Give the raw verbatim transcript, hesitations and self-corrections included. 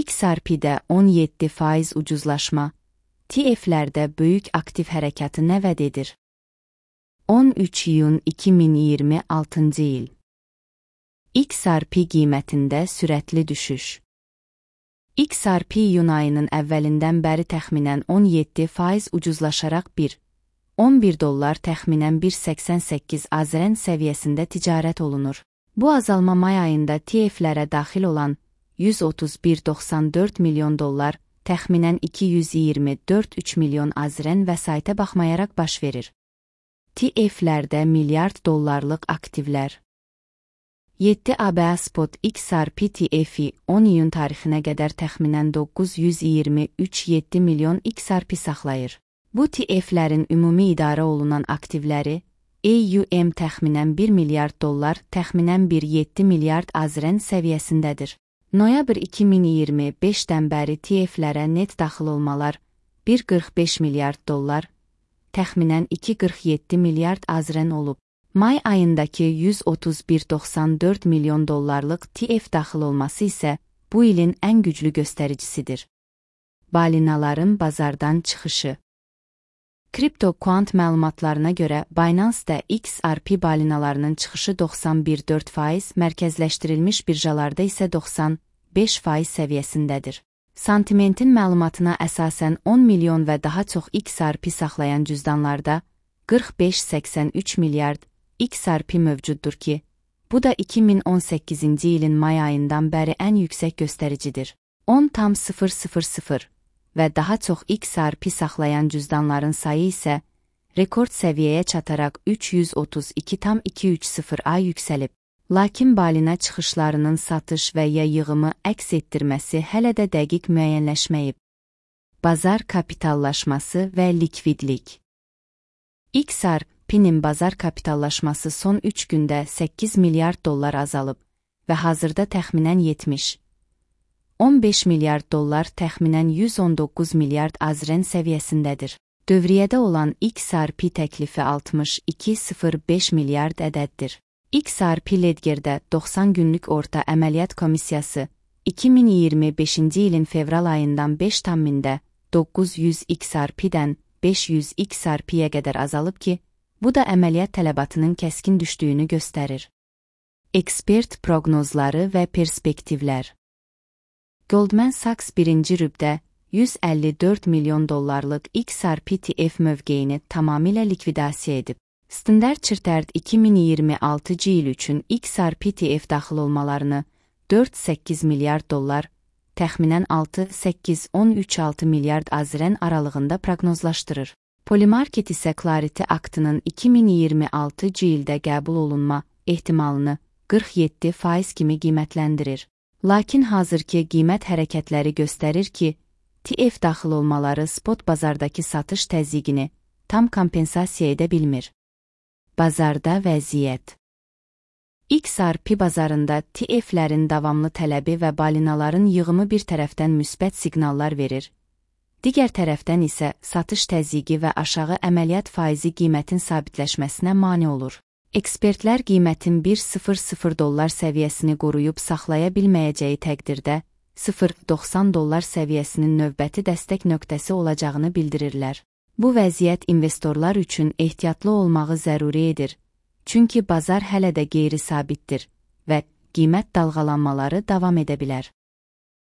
X R P-də on yeddi faiz ucuzlaşma, T F-lərdə böyük aktiv hərəkatı nə vəd edir? on üç iyun iki min iyirmi altıncı il. X R P qiymətində sürətli düşüş. X R P iyun ayının əvvəlindən bəri təxminən on yeddi faiz ucuzlaşaraq bir nöqtə on bir dollar təxminən bir nöqtə səksən səkkiz azrən səviyyəsində ticarət olunur. Bu azalma may ayında T F-lərə daxil olan yüz otuz bir nöqtə doxsan dörd milyon dollar, təxminən iki yüz iyirmi dörd nöqtə üç milyon azrən vəsaitə baxmayaraq baş verir. T F-lərdə milyard dollarlıq aktivlər. yeddi A B A Spot X R P T F-i on iyun tarixinə qədər təxminən doqquz yüz iyirmi üç nöqtə yeddi milyon X R P saxlayır. Bu T F-lərin ümumi idarə olunan aktivləri, A U M təxminən bir milyard dollar, təxminən bir nöqtə yeddi milyard azrən səviyyəsindədir. Noyabr iki min iyirmi beşdən bəri T F-lərə net daxil olmalar bir nöqtə qırx beş milyard dollar, təxminən iki nöqtə qırx yeddi milyard azrən olub. May ayındakı yüz otuz bir nöqtə doxsan dörd milyon dollarlıq T F daxil olması isə bu ilin ən güclü göstəricisidir. Balinaların bazardan çıxışı. CryptoQuant məlumatlarına görə Binance-də X R P balinalarının çıxışı doxsan bir nöqtə dörd faiz, mərkəzləşdirilmiş birjalarda isə doxsan beş faiz səviyyəsindədir. Sentimentin məlumatına əsasən on milyon və daha çox X R P saxlayan cüzdanlarda qırx beş nöqtə səksən üç milyard X R P mövcuddur ki, bu da iki min on səkkizinci ilin may ayından bəri ən yüksək göstəricidir. on tam sıfır sıfır sıfır və daha çox X R P saxlayan cüzdanların sayı isə rekord səviyyəyə çataraq üç yüz otuz iki tam iki üç sıfır A yüksəlib. Lakin balina çıxışlarının satış və ya yığımı əks etdirməsi hələ də dəqiq müəyyənləşməyib. Bazar kapitallaşması və likvidlik. X R P-nin bazar kapitallaşması son üç gündə səkkiz milyard dollar azalıb və hazırda təxminən yetmiş nöqtə on beş milyard dollar, təxminən yüz on doqquz milyard azrən səviyyəsindədir. Dövriyyədə olan X R P təklifi altmış iki nöqtə sıfır beş milyard ədəddir. X R P Ledger'də doxsan günlük orta əməliyyat komissiyası iki min iyirmi beşinci ilin fevral ayından beş tammində doqquz yüz X R P-dən beş yüz X R P-yə qədər azalıb ki, bu da əməliyyat tələbatının kəskin düşdüyünü göstərir. Ekspert proqnozları və perspektivlər. Goldman Sachs birinci rübdə yüz əlli dörd milyon dollarlıq X R P T F mövqeyini tamamilə likvidasiya edib. Standard Chartered iki min iyirmi altıncı il üçün X R P T F daxil olmalarını dörd nöqtə səkkiz milyard dollar, təxminən altı nöqtə səkkiz on üç altı milyard azrən aralığında proqnozlaşdırır. Polymarket isə Clarity aktının iki min iyirmi altıncı ildə qəbul olunma ehtimalını qırx yeddi faiz kimi qiymətləndirir. Lakin hazırki qiymət hərəkətləri göstərir ki, T F daxil olmaları spot bazardakı satış təzyiqini tam kompensasiya edə bilmir. Bazarda vəziyyət. X R P bazarında T F-lərin davamlı tələbi və balinaların yığımı bir tərəfdən müsbət siqnallar verir, digər tərəfdən isə satış təzyiqi və aşağı əməliyyat faizi qiymətin sabitləşməsinə mane olur. Ekspertlər qiymətin bir nöqtə sıfır sıfır dollar səviyyəsini qoruyub saxlaya bilməyəcəyi təqdirdə sıfır nöqtə doxsan dollar səviyyəsinin növbəti dəstək nöqtəsi olacağını bildirirlər. Bu vəziyyət investorlar üçün ehtiyatlı olmağı zəruri edir, çünki bazar hələ də qeyri-sabitdir və qiymət dalğalanmaları davam edə bilər.